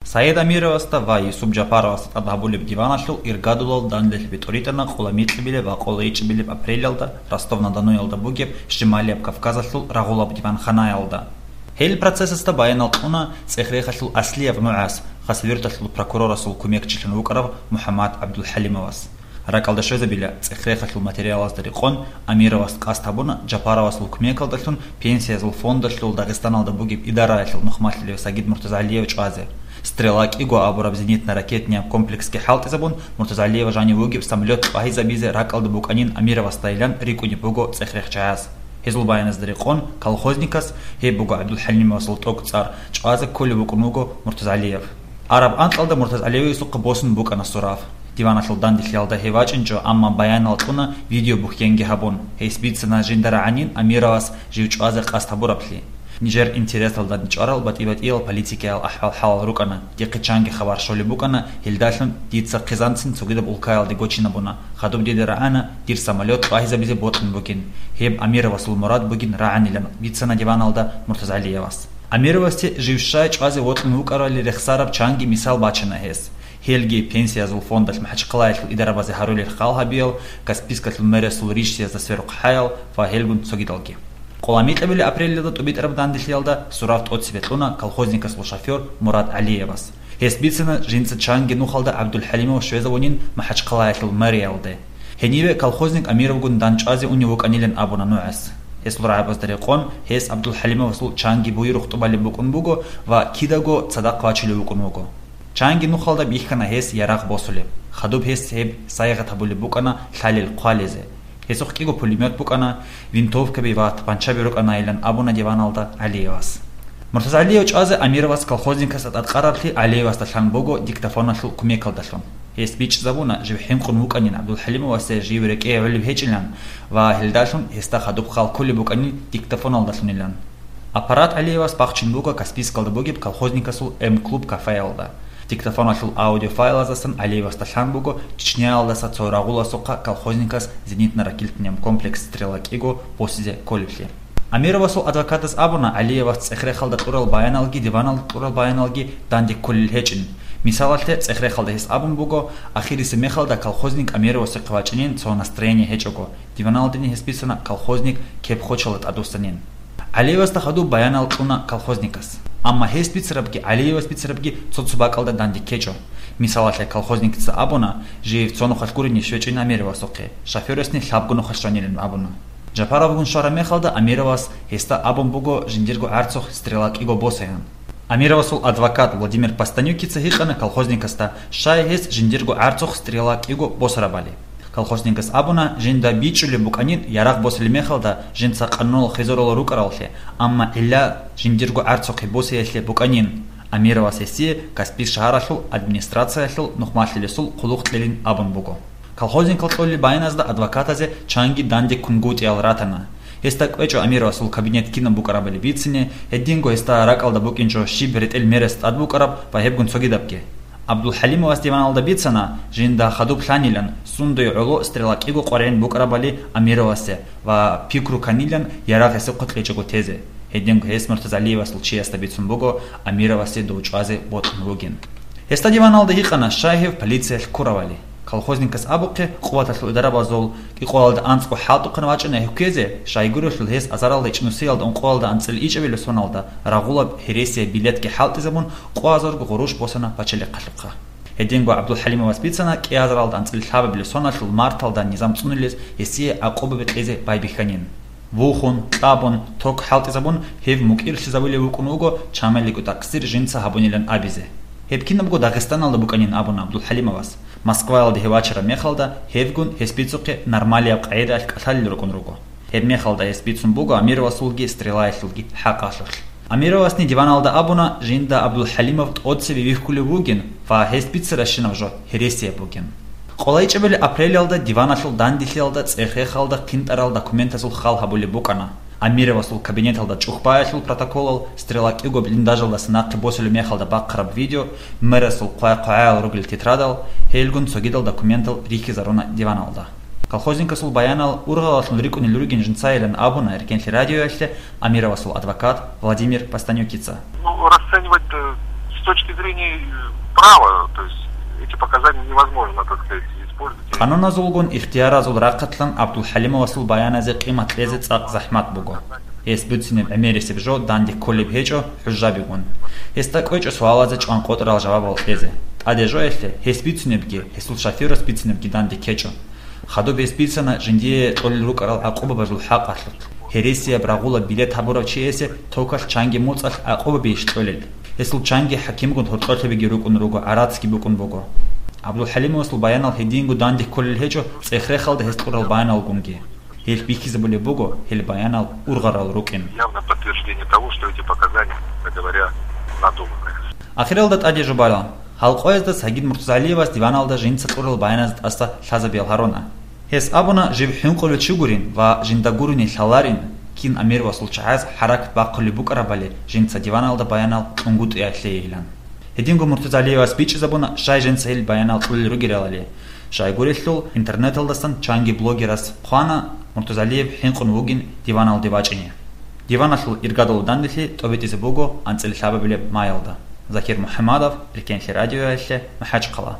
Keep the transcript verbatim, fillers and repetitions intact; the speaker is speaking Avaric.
Саид Амировасда ва Юсуп Жапаровасда тӀад гьабулеб диваналъул иргадулал данделъ бетӀоритӀана къоло микьабилеб ва къоло ичӀабилеб апрелалда Ростов-на-Доноялда бугеб Шималияб Кавказалъул рагъулаб диванханаялда. Гьел процессасда баянал кьуна цӀех-рехалъул аслияб нугӀас, хасавюрталъул прокурорасул кумекчилъун вукӀарав МухӀаммад ГӀабдулхӀалимовас. Ракалда щвезабила цӀех-рехалъул материалазда рекъон, Амировас къасд гьабуна Жапаровасул кумекалдалъун Пенсиязул фондалъул Дагъистаналда бугеб идараялъул нухмалъулев Сагид Муртазгьалиев чӀвазе. «Стрела» кӀиго абураб зенитно-ракетный комплексги хӀалтӀизабун, Муртазгьалиев жанив вугеб самолет лъугьайзабизе ракӀалда букӀанин Амировасдайилан рикӀкӀунеб буго цӀех-рехчагӀаз. Гьезул баяназда рекъон, колхозникас, гьеб буго ГӀабдулхӀалимовасул тӀокӀцӀар, чӀвазе кколев вукӀун вуго Муртазгьалиев. Араб анкьалда Муртазгьалиевасухъа босун букӀана сурав. Диваналъул данделъиялда гьев вачӀинчӀо, амма баянал кьуна видеобухьенги гьабун. Гьес бицана жинда рагӀанин Амировас жив чӀвазе къасд гьабураблъи. Нижер интересалда чӀварал батӀи-батӀиял политикиял ахӀвал-хӀалал рукӀана, дихъе чанги хабар щолеб букӀана, гьелдалъун дица хъизанцин цогидаб улкаялде гочинабуна, хадуб дида рагӀана дир самолет лъугьайзабизе бокьун бугин, гьеб Амировасул мурад бугин рагӀанилан бицана диваналда Муртазгьалиевас. Амировасде жив щай чӀвазе вокьун вукӀарали рехсараб чанги мисал бачана гьес. Гьелги Пенсиязул фондалъ МахӀачхъалаялъул идарабазе гьарулел хал гьабиял, Каспийскалъул мэриясул рищиязда сверухъ хӀаял ва гьелгун цогидалги. Къоло микьабилеб апрелалда тӀубитӀараб данделъиялда сурав тӀоцебе кьуна колхозникасул шофёр Мурад ГӀалиевас. Гьес бицана жинца чанги нухалда ГӀабдулхӀалимов щвезавунин МахӀачхъалаялъул мэриялде. Гьениве колхозник Амировгун дандчӀвазе унев вукӀанилан абуна нугӀас. Гьесул рагӀабазда рекъон, гьес ГӀабдулхӀалимовасул чанги буюрухъ тӀубалеб букӀун буго ва кидаго цадахъ вачулев вукӀун вуго. Чанги нухалда бихьана гьес ярагъ босулеб. Хадуб гьес гьеб сайигъат гьабулеб букӀана лъалел хъвалезе. Гьесухъ кӀиго пулемет букӀана, винтовкаби ва тапанчаби рукӀанайилан абуна диваналда ГӀалиевас. Муртазгьалиев чӀвазе Амировас колхозникасда тӀадкъараблъи ГӀалиевасда лъан буго диктофоналъул кумекалдалъун. Гьес бичӀчӀизабуна жив хӀинкъун вукӀанин ГӀабдулхӀалимовасе жив рекӀее гӀолеб гьечӀилан ва гьелдалъун гьесда хадуб хал кколеб букӀанин диктофоналдалъунилан. Аппарат ГӀалиевас бахчун буго Каспийскалда бугеб колхозникасул М-клуб кафеялда. Диктофоналъул аудиофайлаздасан ГӀалиевасда лъан буго Чечняялдаса цо рагъуласухъа колхозникас зенитно-ракетный комплекс «Стрела» кӀиго босизе кколеблъи. Амировасул адвокатас абуна, ГӀалиевас цӀех-рехалда кьурал баяналги диваналда кьурал баяналги данде кколел гьечӀин. Мисалалъе, цӀех-рехалда гьес абун буго, ахирисеб мехалда колхозник Амировасухъе вачӀинин цо настроение гьечӀого, диваналдани гьес бицана колхозник кеп-хочалда тӀадвуссанин. ГӀалиевасда хадуб баянал кьуна колхозникас. Амма гьес бицарабги ГӀалиевас бицарабги цо-цо бакӀалда данде ккечӀо. Мисалалъе, колхозникица абуна, жив цо нухалъ гурони щвечӀин Амировасухъе, шофёрасни лъабго нухалъ щванилан абуна. Жапаровгун щвараб мехалда Амировас гьесда абун буго жиндирго гӀарцухъ «Стрела» кӀиго босаян. Амировасул адвокат Владимир Пастанюкица гьикъана колхозникасда, щай гьес жиндирго гӀарцухъ «Стрела» кӀиго босарабали. Колхозникас абуна, жинда бичӀчӀулеб букӀанин ярагъ босулеб мехалда жинца къануналъ хизарулел рукӀараллъи, амма гӀилла жиндирго гӀарцухъе босиялъе букӀанин. Амировас гьесие Каспий шагьаралъул администрациялъул нухмалъулесул хъулухъ кьелин абун буго. Колхозникал кьолел баяназда адвокатазе чанги данде ккунгутӀиялъ ратана. Гьесда кӀвечӀо Амировасул кабинет кинаб букӀарабали бицине, гьединго гьесда ракӀалда букӀинчӀо щиб ретӀел мерас тӀад букӀараб ва гьебгун цогидабги. ГӀабдулхӀалимовас диваналда бицана, жинда хадуб лъанилан, сундуе гӀоло «Стрела» кӀиго къваригӀин букӀарабали Амировасе ва пикру кканилан ярагъ гьесухъе кьечӀого тезе. Гьединго гьес Муртазгьалиевасул чиясда бицун буго Амировасе дов чӀвазе бокьун вугин. Гьесда диваналда гьикъана, щай гьев полициялъ ккуравали. Колхозникас абухъе, къуваталъул идарабазул кӀикъоялда анцӀго хӀалтӀухъан вачӀана гьев ккезе, щайгурелъул гьес азаралда ичӀнусиялда ункъоялда анцӀила ичӀабилеб соналда рагъулаб гьересияб билетги хӀалтӀизабун, къоазарго гъурущ босана пачалихъалъухъа. Гьединго ГӀабдулхӀалимовас бицана кӀиазаралда анцӀила лъабабилеб соналъул марталда низам цӀунулез гьесие гӀакъубаби кьезе байбихьанин. Вухун, кьабун, ток хӀалтӀизабун, гьев мукӀирлъизабулев вукӀун вуго, чамалиго такъсир жинца гьабунилан абизе. Гьеб кинабго Дагъистаналда букӀанин абуна ГӀабдулхӀалимовас. Москваялде гьев вачараб мехалда, гьевгун гьес бицухъе нормалияб къагӀидаялъ кӀалъалел рукӀун руго. Гьеб мехалда гьес бицун буго Амировасулги Стрелаялъулги хӀакъалъулъ. Амировасни диваналда абуна, жинда ГӀабдулхӀалимов тӀоцеве вихьулев вугин ва гьес бицаращинаб жо гьересияб бугин. КъолайчӀебали апрелалда диваналъул данделъиялда цӀех-рехалда хъинтӀарал документазул хал гьабулеб букӀана. Амировасул кабинеталда чӀухӀбаялъул протоколал, Стрела кӀиго блиндажалдаса нахъе босулеб мехалда бахъараб видео, мэрасул хъвай-хъвагӀаял ругел тетрадал, гьелгун цогидал документал рихьизаруна диваналда. Колхозникасул баянал ургъалалъун рикӀкӀунел ругин жинцайилан абуна Эркенлъи радиоялъе Амировасул адвокат Владимир Пастанюкица. Ну, расценивать, э, точки зрения, э, права, то есть эти показания невозможно, так сказать, использовать. Къануназулгун ихтияразул рахъалъан ГӀабдулхӀалимовасул баяназе къимат кьезе цӀакъ захӀмат буго. Гьес буцинеб гӀемерисеб жо данде кколеб гьечӀо хӀужжабигун. Гьесда кӀвечӀо суалазе чӀванкъотӀарал жавабал кьезе. ТӀаде жоялъе, гьес бицунебги, гьесул шофёрас бицунебги данде ккечӀо. Хадуб гьес бицана жиндие кьолел рукӀарал гӀакъубабазул хӀакъалъулъ. Гьересияб рагъула билет гьабурав чиясе токалъ чанги моцӀалъ гӀакъубабейищ кьолел? Гьесул чанги хӀакимгун гьоркьолъабиги рукӀун руго, гӀарацги букӀун буго. ГӀабдулхӀалимовасул баянал гьединго данде кколел гьечӀо цӀех-рехалда гьес кьурал баяналгунги. Гьелъ бихьизабулеб буго гьел баянал ургъарал рукӀин. Явное подтверждение того, что эти показания, как говоря, надуманные. Ахиралда тӀаде жубала. Гьал къоязда Сагид Муртазалиевас диваналда жинца кьурал баяназ тӀаса лъазабиял гьаруна. Гьес абуна, жиб хӀинкъулев чи гурин ва жинда гурони лъаларин, кин амир ва сулчагӀаз хӀаракат бахъулеб букӀарабали жинца диваналда баянал кьунгутӀиялъейилан. Гьединго Муртазалиевас бичӀчӀизабуна, щай жинца гьел баянал кьулел ругелали. Щайгурелъул, интернеталдасан чанги блогерас хъвана, Муртазалиев хӀинкъун вугин диваналде вачӀине. Диваналъул иргадал данделъи тӀобитӀизе буго анцӀила лъабабилеб маялда. Закир МухӀамадов, Эркенлъи радиоялъе, МахӀачхъала.